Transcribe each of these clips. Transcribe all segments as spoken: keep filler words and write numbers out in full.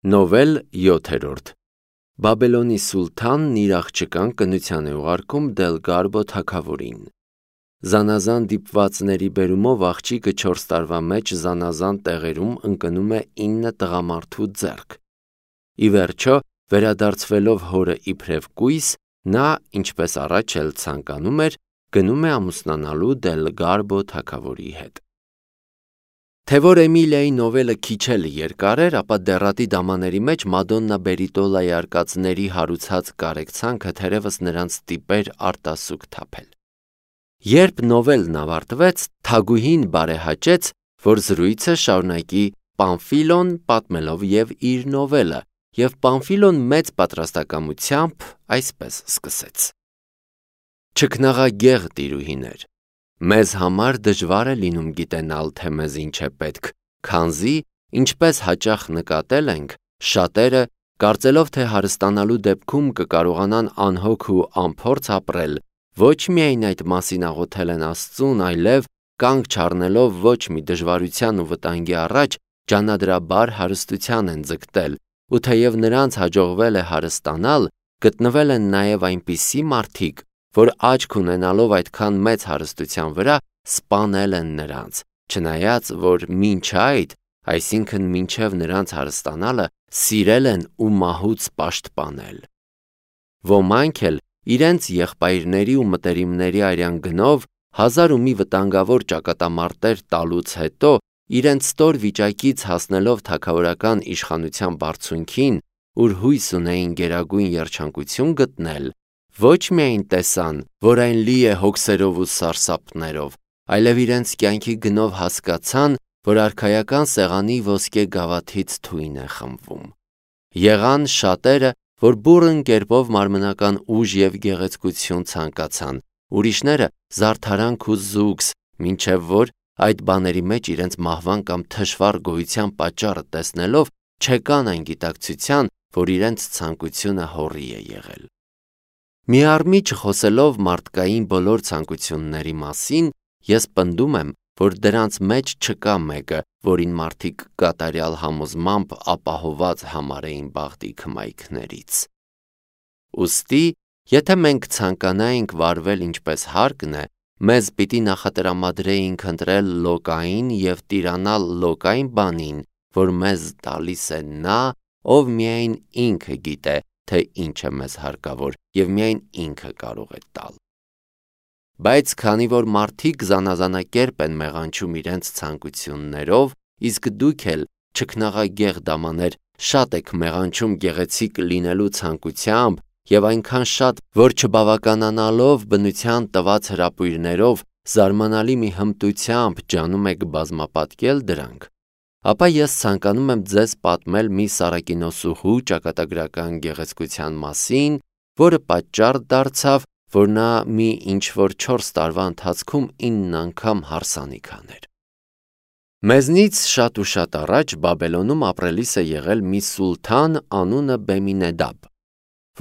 Նովել յոթերորդ Բաբելոնի սուլթանն իր աղջկան կնության է ուղարկում Դելգարբո թագավորին։ Զանազան դիպվածների բերումով աղջիկը չորս տարվա մեջ զանազան տեղերում ընկնում է ինը տղամարդու ձեռք։ Ի վերջո, վերադարձվելով հորը իբրև կույս, նա, ինչպես առաջ էլ ցանկանում էր, գնում է ամուսնանալու Դելգարբո թագավորի հետ։ Թե որ Էմիլիայի նովելը քիչ էլ երկար էր, ապա դեռատի դամաների մեջ Մադոննա Բերիտոլայի արկածների հարուցած կարեկցանքը թերևս նրանց ստիպեր արտասուք թափել։ Երբ նովելն ավարտվեց, թագուհին բարեհաճեց, որ զրույցը շարունակի Պամֆիլոն պատմելով և իր նովելը, և Պամֆիլոն մեծ պատրաստակամությամբ այսպես սկսեց. Չքնաղագեղ տիրուհիներ, մեզ համար դժվար է լինում գիտենալ, թե մեզ ինչ է պետք, քանզի, ինչպես հաճախ նկատել ենք, շատերը, կարծելով թե հարստանալու դեպքում կկարողանան անհոգ ու անփորձ ապրել, ոչ միայն այդ մասին աղոթել են Աստծուն, այլև կանգ չառնելով ոչ մի դժվարության ու վտանգի առաջ, ջանադրաբար հարստության են ձգտել, ու թեև նրանց հաջողվել է հարստանալ, գտնվել են նաև այնպիսի մարդիկ, որ աչք ունենալով այդքան մեծ հարստության վրա, սպանել են նրանց, չնայած որ մինչ այդ, այսինքն մինչև նրանց հարստանալը, սիրել են ու մահուց պաշտպանել։ Ոմանք էլ իրենց եղբայրների ու մտերիմների արյան գնով հազար ու մի վտանգավոր ճակատամարտեր տալուց հետո, իրենց ստոր վիճակից հասնելով թագավորական իշխանության բարձունքին, ուր հույս ունեին գերագույն երջանկություն գտնել, ոչ միայն տեսան, որ այն լի է հոգսերով ու սարսափներով, այլև իրենց կյանքի գնով հասկացան, որ արքայական սեղանի ոսկե գավաթից թույն է խմվում։ Եղան շատերը, որ բուռն կերպով մարմնական ուժ և գեղեցկություն ցանկացան, ուրիշները զարդարանք ու զուգս, մինչև որ այդ բաների մեջ իրենց մահվան կամ թշվառ գոյության պատճառը տեսնելով, չեկան այն գիտակցության, որ իրենց ցանկությունը հոռի է եղել։ Մի առմի չխոսելով մարդկային բոլոր ցանկությունների մասին, ես պնդում եմ, որ դրանց մեջ չկա մեկը, որին մարդիկ կատարյալ համոզմամբ ապահոված համարեին բախտի քմայքներից։ Ուստի, եթե մենք ցանկանայինք վարվել ինչպես հարկն է, մեզ պիտի նախատրամադրեինք ընտրել լոկային և տիրանալ լոկային բանին, որ մեզ տալիս է նա, ով միայն ինքը գիտե, թե ինչ է մեզ հարկավոր, և միայն ինքը կարող է տալ։ Բայց քանի որ մարդիկ զանազանակերպ են մեղանչում իրենց ցանկություններով, իսկ դուք էլ, չքնաղագեղ դամաներ, շատ եք մեղանչում գեղեցիկ լինելու ցանկությամբ և այնքան շատ, որ չբավականանալով բնության տված հրապույրներով, զարմանալի մի հմտությամբ ջանում եք բազմապատկել դրանք, ապա ես ցանկանում եմ ձեզ պատմել մի սարակինոսուհու ճակատագրական գեղեցկության մասին, որը պատճառ դարձավ, որ նա մի ինչ-որ չորս տարվա ընթացքում ինն անգամ հարսանիք աներ։ Մեզնից շատ ու շատ առաջ Բաբելոնում ապրելիս է եղել մի սուլթան անունը Բեմինեդաբ,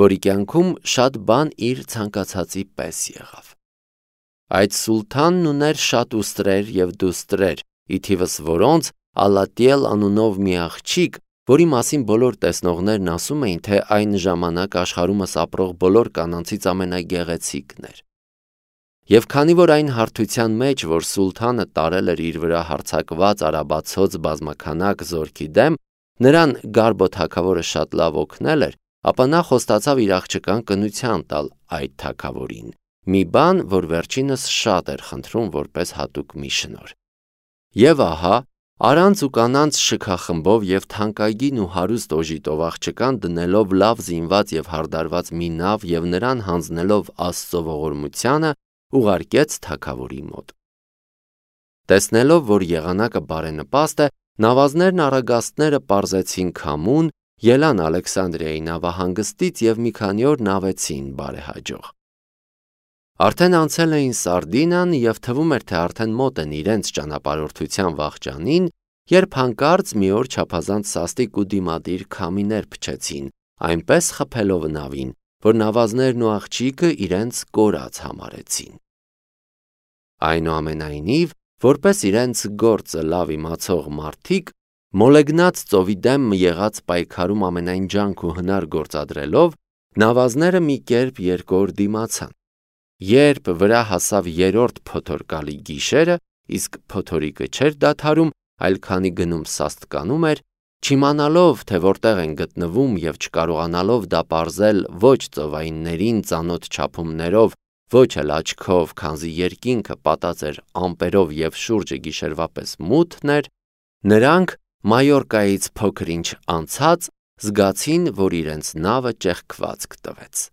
որի կյանքում շատ բան իր ցանկացածի պես եղավ։ Այդ սուլթանն ուներ շատ ուստրեր և դուստրեր, ի թիվս որոնց Ալատիել անունով մի աղջիկ, որի մասին բոլոր տեսնողներն ասում էին, թե այն ժամանակ աշխարհումս ապրող բոլոր կանանցից ամենագեղեցիկն էր։ Եվ քանի որ այն հարթության մեջ, որ սուլթանը տարել էր իր վրա հարձակված արաբացոց բազմաքանակ զորքի դեմ, նրան Գարբո թագավորը շատ լավ օգնել էր, ապա նա խոստացավ իր աղջկան կնության տալ այդ թագավորին, մի բան, որ վերջինս շատ էր խնդրում որպես հատուկ մի շնորհ։ Եվ ահա, առանց ու կանանց շքախմբով և թանկագին ու հարուստ օժիտով աղջկան դնելով լավ զինված և հարդարված մի նավ և նրան հանձնելով Աստծո ողորմությանը, ուղարկեց թագավորի մոտ։ Տեսնելով, որ եղանակը բարենպաստ է, նավազներն առագաստները պարզեցին քամուն, ելան Ալեքսանդրիայի նավահանգստից և մի քանի օր նավեցին բարեհաջող։ Արդեն անցել էին Սարդինան և թվում էր, թե արդեն մոտ են իրենց ճանապարհորդության վախճանին, երբ հանկարծ մի օր չափազանց սաստիկ ու դիմադիր քամիներ փչեցին, այնպես խփելով նավին, որ նավազներն ու աղջիկը իրենց կորած համարեցին։ Այնուամենայնիվ, որպես իրենց գործը լավ իմացող մարդիկ, Մոլեգնած ծովի դեմ եղած պայքարում ամենայն ջանք ու հնար գործադրելով, նավազները մի կերպ երկոր դիմացան։ Երբ վրա հասավ երրորդ փոթորկալի գիշերը, իսկ փոթորիկը չէր դադարում, այլ քանի գնում սաստկանում էր, չիմանալով, թե որտեղ են գտնվում և չկարողանալով դա պարզել ոչ ծովայիններին ծանոթ չափումներով, ոչ էլ աչքով, քանզի երկինքը պատած էր ամպերով և շուրջը գիշերվա պես մութն էր, նրանք Մայորկայից փոքր-ինչ անցած զգացին, որ իրենց նավը ճեղքված կտվեց։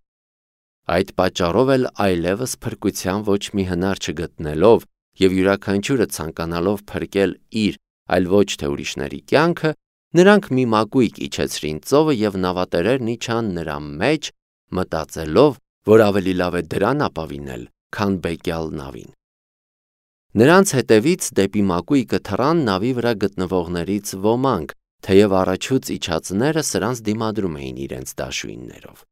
Այդ պատճառով էլ այլևս փրկության ոչ մի հնար չգտնելով և յուրաքանչյուրը ցանկանալով փրկել իր, այլ ոչ թե ուրիշների կյանքը, նրանք մի մակույկ իջեցրին ծովը և նավատերերն իջան նրա մեջ, մտածելով, որ ավելի լավ է դրան ապավինել, քան բեկյալ նավին։ Նրանց հետևից դեպի մակույկը թռան նավի վրա գտնվողներից ոմանք, թեև առաջուց իջածները սրանց դիմադրում էին իրենց դաշույններով։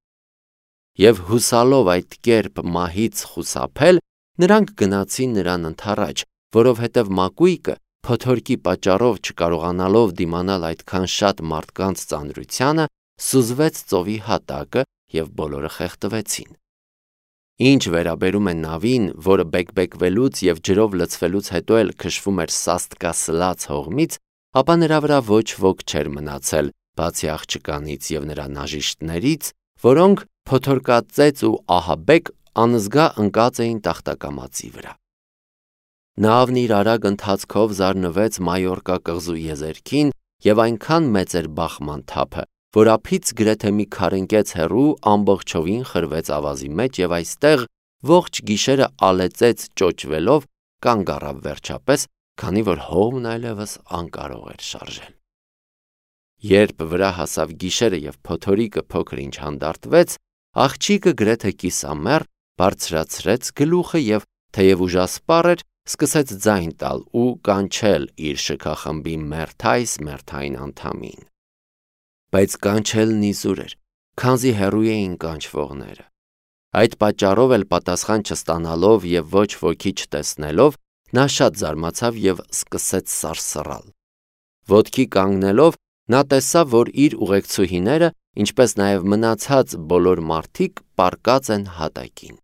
Եվ հուսալով այդ կերպ մահից խուսափել, նրանք գնացին նրան ընդառաջ, որովհետև մակույկը, փոթորկի պատճառով չկարողանալով դիմանալ այդքան շատ մարդկանց ծանրությանը, սուզվեց ծովի հատակը և բոլորը խեղդվեցին։ Ինչ վերաբերում է նավին, որը բեկբեկվելուց և ջրով լցվելուց հետո էլ քշվում էր սաստկասլաց հողմից, ապա նրա վրա ոչ ոք չէր մնացել, բացի աղջկանից և նրա նաժիշտներից, որոնք փոթորկածեծ ու ահաբեկ անզգա ընկած էին տախտակամածի վրա։ Նավն իր արագ ընթացքով զարնվեց Մայորկա կղզու եզերքին և այնքան մեծ էր բախման թափը, որ ափից գրեթե մի քառընկեց հեռու ամբողջովին խրվեց ավազի մեջ և այստեղ ողջ գիշերը ալեցեց ճոճվելով կանգ առավ վերջապես, քանի որ հողմն այլևս անկարող էր շարժել։ Երբ վրա հասավ գիշերը և փոթորիկը փոքր-ինչ հանդարտվեց, աղջիկը գրեթե կիսամեռ բարձրացրեց գլուխը և, թեև ուժասպառ էր, սկսեց ձայն տալ ու կանչել իր շքախմբի մերթ այս մերթ այն անդամին։ Բայց կանչելն իզուր էր, քանզի հեռու էին կանչվողները։ Այդ պատճառով էլ պատասխան չստանալով և ոչ ոքի չտեսնելով, նա շատ զարմացավ և սկսեց սարսռալ։ Ոտքի կանգնելով, նա տեսավ, որ իր ուղեկցուհիները, ինչպես նաև մնացած բոլոր մարդիկ պառկած են հատակին։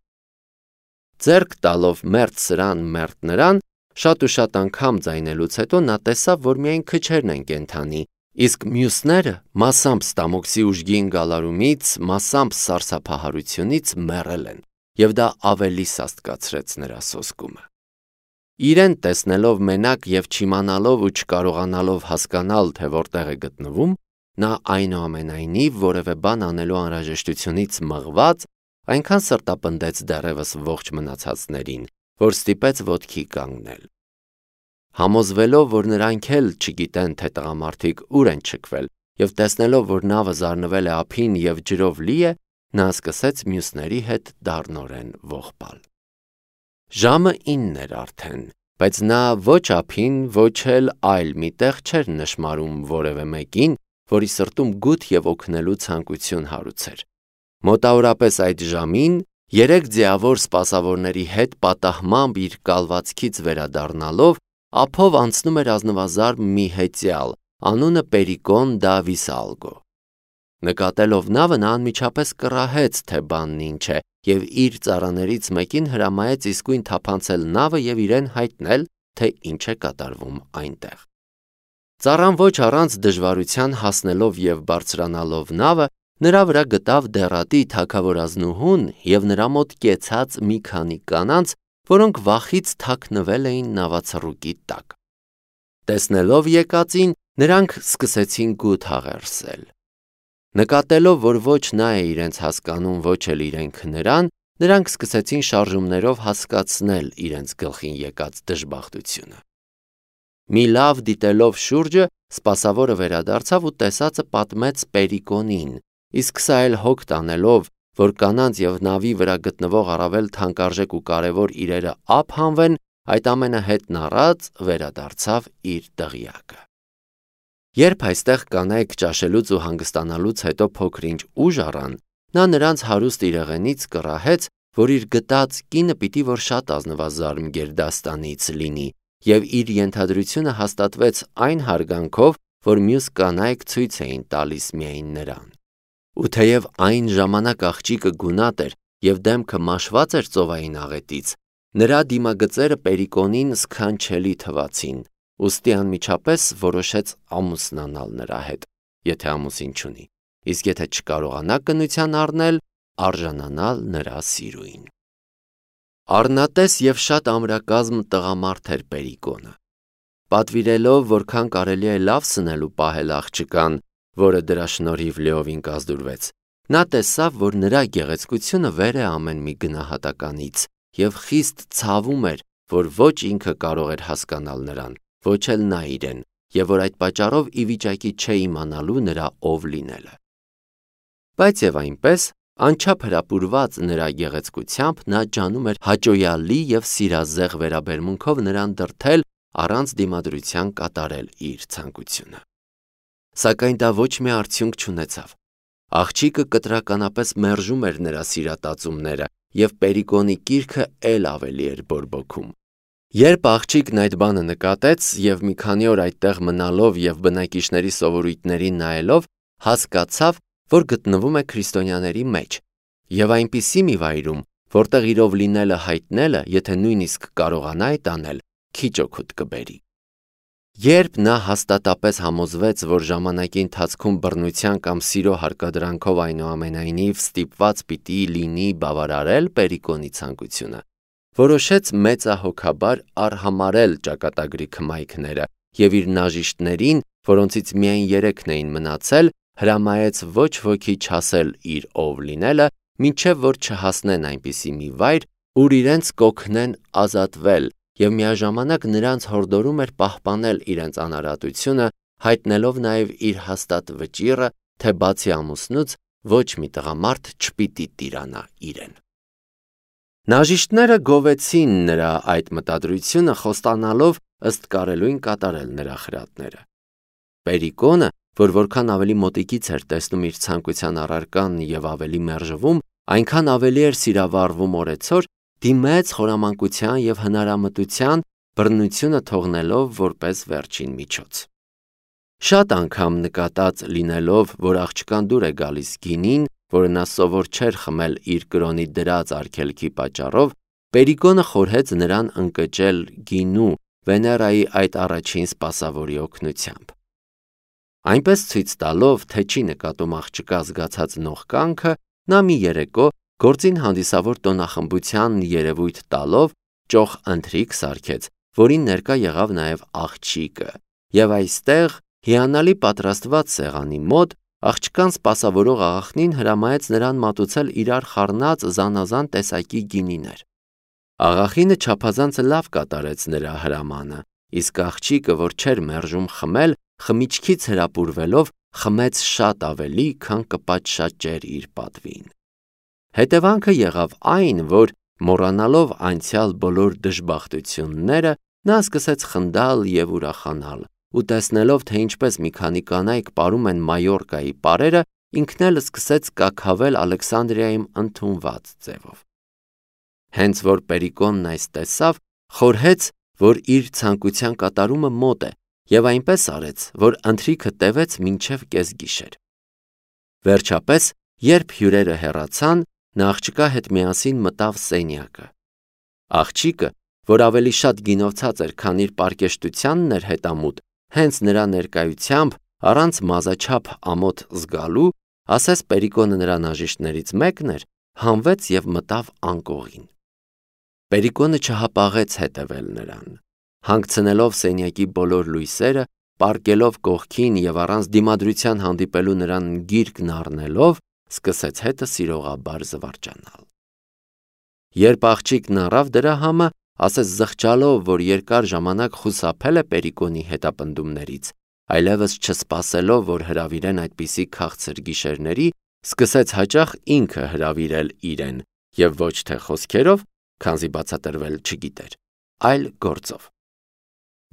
Ձեռք տալով մերթ սրան, մերթ նրան, շատ ու շատ անգամ ձայնելուց հետո նա տեսավ, որ միայն քչերն են կենդանի, իսկ մյուսները մասամբ ստամոքսի ուժգին գալարումից, մասամբ սարսափահարությունից մեռել են, և դա ավելի սաստկացրեց նրա սոսկումը։ Իրեն տեսնելով մենակ և չիմանալով ու չկարողանալով հասկանալ, թե որտեղ է գտնվում, նա այնուամենայնիվ որևէ բան անելու անհրաժեշտությունից մղված, այնքան սրտապնդեց դեռևս ողջ մնացածներին, որ ստիպեց ոտքի կանգնել։ Համոզվելով, որ նրանք էլ չգիտեն, թե տղամարդիկ ուր են չքվել, և տեսնելով, որ նավը զարնվել է ափին և ջրով լի է, նա սկսեց մյուսների հետ դառնորեն ողբալ։ Ժամը ինն էր արդեն, բայց նա ոչ ափին, ոչ էլ այլ մի տեղ չէր նշմարում որևէ մեկին, որի սրտում գութ և օգնելու ցանկություն հարուցեր։ Մոտավորապես այդ ժամին երեք ձիավոր սպասավորների հետ պատահմամբ իր կալվածքից վերադառնալով, ափով անցնում էր ազնվազարդ մի հեծյալ, անունը Պերիկոն դա Վիսալգո։ Նկատելով նավը, նա անմիջապես կռահեց, թե բանն ինչ է, և իր ծառաներից մեկին հրամայեց իսկույն թափանցել նավը և իրեն հայտնել, թե ինչ է կատարվում այնտեղ։ Ծառան ոչ առանց դժվարության հասնելով և բարձրանալով նավը, նրա վրա գտավ դեռատի թագավորազնուհուն և նրա մոտ կեցած մի քանի կանանց, որոնք վախից թաքնվել էին նավացռուկի տակ։ Տեսնելով եկածին, նրանք սկսեցին գութ հաղերսել։ Նկատելով, որ ոչ նա է իրենց հասկանում, ոչ էլ իրենք նրան, նրանք սկսեցին շարժումներով հասկացնել իրենց գլխին եկած դժբախտությունը։ Մի լավ դիտելով շուրջը, սպասավորը վերադարձավ ու տեսածը պատմեց Պերիկոնին, իսկ սա էլ հոգ տանելով, որ կանանց և նավի վրա գտնվող առավել թանկարժեք ու կարևոր իրերը ափ հանվեն, այդ ամենը հետն առած վերադարձավ իր դղյակը։ Երբ այստեղ կանայք ճաշելուց ու հանգստանալուց հետո փոքր-ինչ ուժ առան, նա նրանց հարուստ իրեղենից կռահեց, որ իր գտած կինը պիտի որ շատ ազնվազարմ գերդաստանից լինի, և իր ենթադրությունը հաստատվեց այն հարգանքով, որ մյուս կանայք ցույց էին տալիս միայն նրան։ Ու թեև այն ժամանակ աղջիկը գունատ էր և դեմքը մաշված էր ծովային աղետից, նրա դիմագծերը Պերիկոնին սքանչելի թվացին, ուստի անմիջապես որոշեց ամուսնանալ նրա հետ, եթե ամուսին չունի, իսկ եթե չկարողանա կնության առնել, արժանանալ նրա սիրուին։ Առնատես և շատ ամրակազմ տղամարդ էր Պերիկոնը։ Պատվիրելով, որքան կարելի է լավ սնել ու պահել աղջկան, որը դրա շնորհիվ լիովին կազդուրվեց, նա տեսավ, որ նրա գեղեցկությունը վեր է ամեն մի գնահատականից և խիստ ցավում էր, որ ոչ ինքը կարող էր հասկանալ նրան, ոչ էլ նա իրեն, և որ այդ պատճառով ի վիճակի չէ իմանալու նրա ով լինելը։ Բայց և այնպես, անչափ հրապուրված նրա գեղեցկությամբ, նա ջանում էր հաճոյալի և սիրազեղ վերաբերմունքով նրան դրդել առանց դիմադրության կատարել իր ցանկությունը։ Սակայն դա ոչ մի արդյունք չունեցավ։ Աղջիկը կտրականապես մերժում էր նրա սիրատածումները, և Պերիկոնի կիրքը էլ ավելի էր բորբոքում։ Երբ աղջիկն այդ բանը նկատեց և մի քանի օր այդտեղ մնալով և բնակիչների սովորույթներին նայելով, հասկացավ, որ գտնվում է քրիստոնյաների մեջ և այնպիսի մի վայրում, որտեղ իրով լինելը հայտնելը, եթե նույնիսկ կարողանա այդ անել, քիչ օգուտ կբերի։ Երբ նա հաստատապես համոզվեց, որ ժամանակի ընթացքում բռնության կամ սիրո հարկադրանքով այնուամենայնիվ ստիպված պիտի լինի բավարարել Պերիկոնի ցանկությունը, որոշեց մեծահոգաբար արհամարհել ճակատագրի քմայքները և իր նաժիշտներին, որոնցից միայն երեքն էին մնացել, հրամայեց ոչ ոքի չասել իր ով լինելը, մինչև որ չհասնեն այնպիսի մի վայր, ուր իրենց կօգնեն ազատվել, և միաժամանակ նրանց հորդորում էր պահպանել իրենց անարատությունը, հայտնելով նաև իր հաստատ վճիռը, թե բացի ամուսնուց ոչ մի տղամարդ չպիտի տիրանա իրեն։ Նաժիշտները գովեցին նրա այդ մտադրությունը, խոստանալով ըստ կարելույն կատարել նրա խրատները։ Պերիկոնը, որ որքան ավելի մոտիկից էր տեսնում իր ցանկության առարկան և ավելի մերժվում, այնքան ավելի էր սիրավառվում օրեցօր, դիմեց խորամանկության և հնարամտության, բռնությունը թողնելով որպես վերջին միջոց։ Շատ անգամ նկատած լինելով, որ աղջկան դուր է գալիս գինին, որը նա սովոր չէր խմել իր կրոնի դրած արգելքի պատճառով, Պերիկոնը խորհեց նրան ընկճել գինու Վեներայի այդ առաջին սպասավորի օգնությամբ։ Այնպես ցույց տալով, թե չի նկատում աղջկա զգացած նողկանքը, նա մի երեկո, գործին հանդիսավոր տոնախմբության երևույթ տալով, ճոխ ընթրիք սարքեց, որին ներկա եղավ նաև աղջիկը, և այստեղ, հիանալի պատրաստված սեղանի մոտ, աղջկան սպասավորող աղախնին հրամայեց նրան մատուցել իրար խառնած զանազան տեսակի գինիներ։ Աղախինը չափազանց լավ կատարեց նրա հրամանը, իսկ աղջիկը, որ չէր մերժում խմել, խմիչքից հրապուրվելով, խմեց շատ ավելի, քան կպատշաճեր իր պատվին։ Հետևանքը եղավ այն, որ, մոռանալով անցյալ բոլոր դժբախտությունները, նա սկսեց խնդալ և ուրախանալ, ու տեսնելով, թե ինչպես մի քանի կանայք պարում են Մայորկայի պարերը, ինքն էլ սկսեց կաքավել Ալեքսանդրիայում ընդունված ձևով։ Հենց որ Պերիկոնն այս տեսավ, խորհեց, որ իր ցանկության կատարումը մոտ է, և այնպես արեց, որ ընթրիքը տևեց մինչև կեսգիշեր։ Վերջապես, երբ հյուրերը հեռացան, նա աղջկա հետ միասին մտավ սենյակը։ Աղջիկը, որ ավելի շատ գինովցած էր, քան իր պարկեշտությանն էր հետամուտ, հենց նրա ներկայությամբ, առանց մազաչափ ամոթ զգալու, ասես Պերիկոնը նրա նաժիշտներից մեկն էր, հանվեց և մտավ անկողին։ Պերիկոնը չհապաղեց հետևել նրան։ Հանգցնելով սենյակի բոլոր լույսերը, պառկելով կողքին և առանց դիմադրության հանդիպելու նրան գիրկն առնելով, սկսեց հետը սիրողաբար զվարճանալ։ Երբ աղջիկն առավ դրա համը, ասես զղջալով, որ երկար ժամանակ խուսափել է Պերիկոնի հետապնդումներից, այլևս չսպասելով, որ հրավիրեն այդպիսի քաղցր գիշերների, սկսեց հաճախ ինքը հրավիրել իրեն և ոչ թե խոսքերով, քանզի բացատրվել չգիտեր, այլ գործով։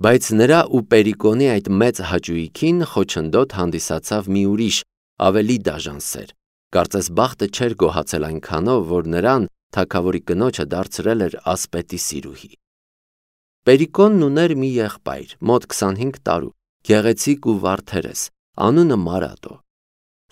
Բայց նրա ու Պերիկոնի այդ մեծ հաճույքին խոչընդոտ հանդիսացավ մի ուրիշ, ավելի դաժան սեր, կարծես բախտը չէր գոհացել այնքանով, որ նրան, թագավորի կնոջը, դարձրել էր ասպետի սիրուհի։ Պերիկոնն ուներ մի եղբայր, մոտ քսանհինգ տարու, գեղեցիկ ու վարդերես, անունը Մարատո։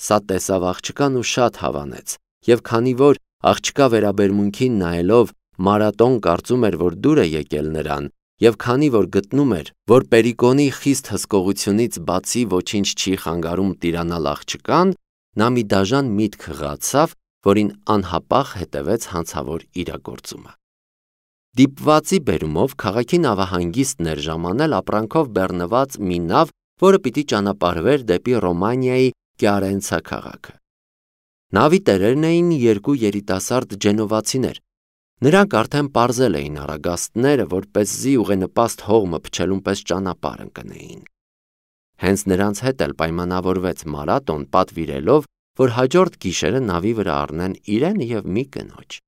Սա տեսավ աղջկան ու շատ հավանեց, և քանի որ աղջկա վերաբերմունքին նայելով Մարատոն կարծում էր, որ դուր է եկել նրան, և քանի որ գտնում էր, որ Պերիկոնի խիստ հսկողությունից բացի ոչինչ չի խանգարում տիրանալ աղջկան, նա մի դաժան միտք հղացավ, որին անհապաղ հետևեց հանցավոր իրագործումը։ Դիպվածի բերումով քաղաքի նավահանգիստն էր ժամանել ապրանքով բեռնված մի նավ, որը պիտի ճանապարհվեր դեպի Ռոմանիայի Կիարենցա քաղաքը։ Նավի տերերն էին երկու երիտասարդ ջենովացիներ։ Նրանք արդեն պարզել էին առագաստները, որպեսզի ուղենպաստ հողմը փչելուն պես ճանապարհ ընկնեին։ Հենց նրանց հետ էլ պայմանավորվեց Մարատոն, պատվիրելով, որ հաջորդ գիշերը նավի վրա առնեն իրեն և մի կնոջ։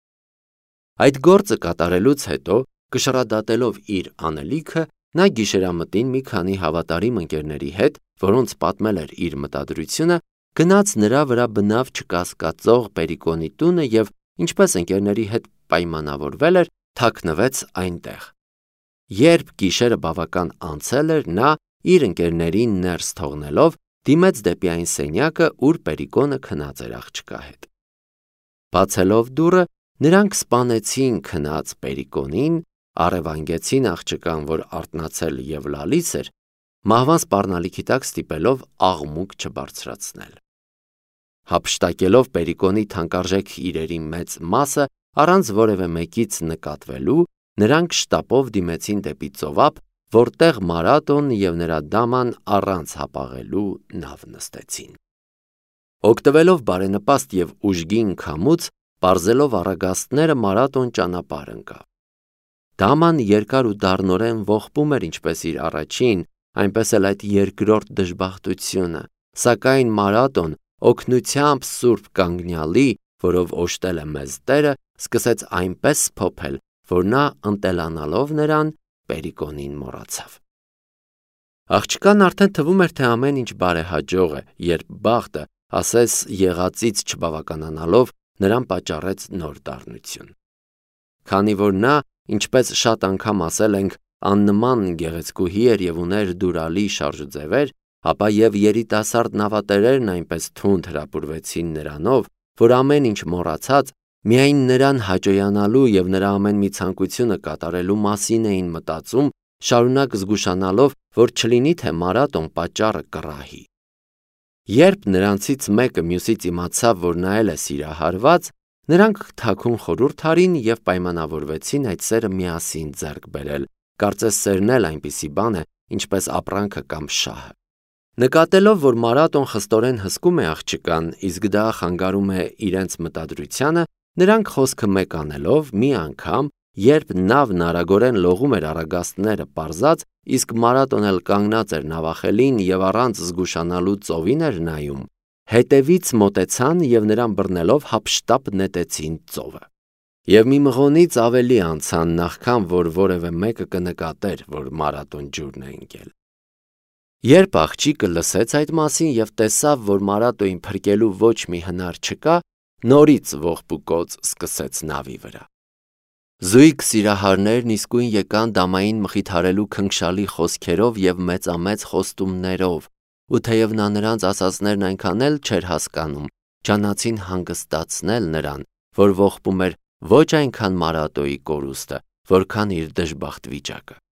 Այդ գործը կատարելուց հետո, կշռադատելով իր անելիքը, նա գիշերամտին մի քանի հավատարիմ ընկերների հետ, որոնց պատմել էր իր մտադրությունը, գնաց նրա վրա բնավ չկասկածող Պերիկոնի տունը և, ինչպես ընկերների հետ պայմանավորվել էր, թաքնվեց այնտեղ։ Երբ գիշերը բավական անցել էր, նա, իր ընկերներին ներս թողնելով, դիմեց դեպի այն սենյակը, ուր Պերիկոնը քնած էր աղջկա հետ։ Բացելով դուռը, նրանք սպանեցին քնած Պերիկոնին, առևանգեցին աղջկան, որ արթնացել և լալիս էր, մահվան սպառնալիքի տակ ստիպելով աղմուկ չբարձրացնել։ Հափշտակելով Պերիկոնի թանկարժեք իրերի մեծ մասը, առանց որևէ մեկից նկատվելու, նրանք շտապով դիմեցին դեպի ծովափ, որտեղ Մարատոն և նրա դաման առանց հապաղելու նավ նստեցին։ Օգտվելով բարենպաստ և ուժգին քամուց, պարզելով առագաստները, Մարատոն ճանապարհ ընկավ։ Դաման երկար ու դառնորեն ողբում էր ինչպես իր առաջին, այնպես էլ այդ երկրորդ դժբախտությունը, սակայն Մարատոն, օգնությամբ Սուրբ Կանգնյալի, որով օժտել է մեզ Տերը, սկսեց այնպես սփոփել, որ նա ընտելանալով նրան, Պերիկոնին մոռացավ։ Աղջկան արդեն թվում էր, թե ամեն ինչ բարեհաջող է, երբ բախտը, ասես եղածից չբավականանալով, նրան պատճառեց նոր դառնություն։ Քանի որ նա, ինչպես շատ անգամ ասել ենք, աննման գեղեցկուհի էր և ուներ դուրալի շարժուձևեր, ապա և երիտասարդ նավատերերն այնպես թունդ հրապուրվեցին նրանով, որ ամեն ինչ մոռացած, միայն նրան հաճոյանալու և նրա ամեն մի ցանկությունը կատարելու մասին էին մտածում, շարունակ զգուշանալով, որ չլինի թե Մարատոն պատճառը կռահի։ Երբ նրանցից մեկը մյուսից իմացավ, որ նա էլ է սիրահարված, նրանք թաքուն խորհուրդ արին և պայմանավորվեցին այդ սերը միասին ձեռք բերել, կարծես սերն էլ այնպիսի բան է, ինչպես ապրանքը կամ շահը։ Նկատելով, որ Մարատոն խստորեն հսկում է աղջկան, իսկ դա խանգարում է իրենց մտադրությանը, նրանք խոսքը մեկ անելով, մի անգամ, երբ նավն արագորեն լողում էր առագաստները պարզած, իսկ Մարատոն էլ կանգնած էր նավախելին և առանց զգուշանալու ծովին էր նայում, հետևից մոտեցան և նրան բռնելով հափշտապ նետեցին ծովը։ Եվ մի մղոնից ավելի անցան, նախքան որ որևէ մեկը կնկատեր, որ Մարատոն ջուրն է ընկել։ Երբ աղջիկը լսեց այդ մասին և տեսավ, որ Մարատոյին փրկելու ոչ մի հնար չկա, նորից ողբուկոծ սկսեց նավի վրա։ Զույգ սիրահարներն իսկույն եկան դամային մխիթարելու քնքշալի խոսքերով և մեծամեծ խոստումներով, ու թեև նա նրանց ասածներն այնքան էլ չէր հասկանում, ջանացին հանգստացնել նրան, որ ողբում էր ոչ այնքան Մարատոյի կորուստը, որքան իր դժբախտ վիճակը։